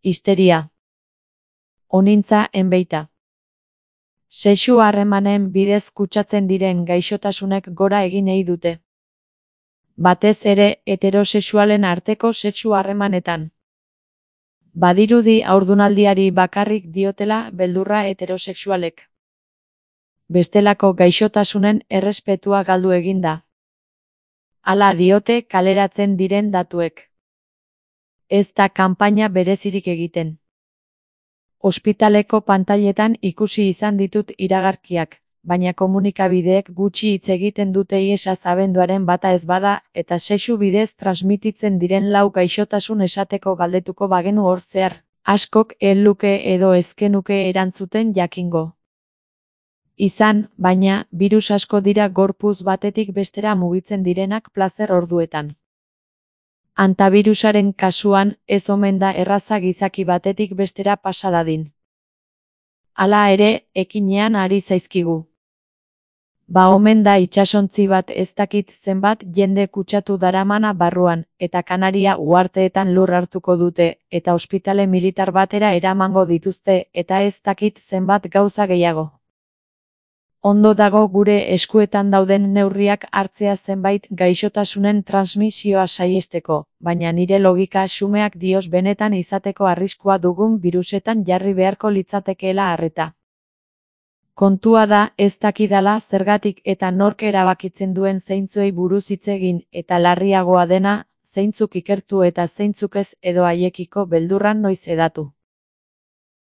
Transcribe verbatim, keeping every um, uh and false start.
Histeria. Onintza enbeita. Sexu harremanen bidez kutsatzen diren gaixotasunek gora egin nahi dute. Batez ere heterosexualen arteko sexu harremanetan. Badirudi haurdunaldiari bakarrik diotela beldurra heterosexualek. Bestelako gaixotasunen errespetua galdu egin da. Hala diote kaleratzen diren datuek. Ez da kanpaina berezirik egiten. Ospitaleko pantailetan ikusi izan ditut iragarkiak, baina komunikabideek gutxi hitz egiten dute iesaz abenduaren bata ez bada, eta sexu bidez transmititzen diren lau gaixotasun esateko galdetuko bagenu hor zehar, askok ez luke edo ezkenuke erantzuten jakingo. Izan, baina, birus asko dira gorputz batetik bestera mugitzen direnak plazer orduetan. Antavirusaren kasuan, ez omen da erraza gizaki batetik bestera pasa dadin. Hala ere, ekinean ari zaizkigu. Ba omen da itsasontzi bat ez dakit zenbat jende kutsatu daramana barruan, eta Kanaria uharteetan lur hartuko dute, eta ospitale militar batera eramango dituzte, eta ez dakit zenbat gauza gehiago. Ondo dago gure eskuetan dauden neurriak hartzea zenbait gaixotasunen transmisioa saihesteko, baina nire logika xumeak dios benetan izateko arriskua dugun birusetan jarri beharko litzatekeela arreta. Kontua da ez dakidala zergatik eta nork erabakitzen duen zeintzuei buruz hitz egin, eta larriagoa dena, zeintzuk ikertu eta zeintzuk ez edo haiekiko beldurran noiz hedatu.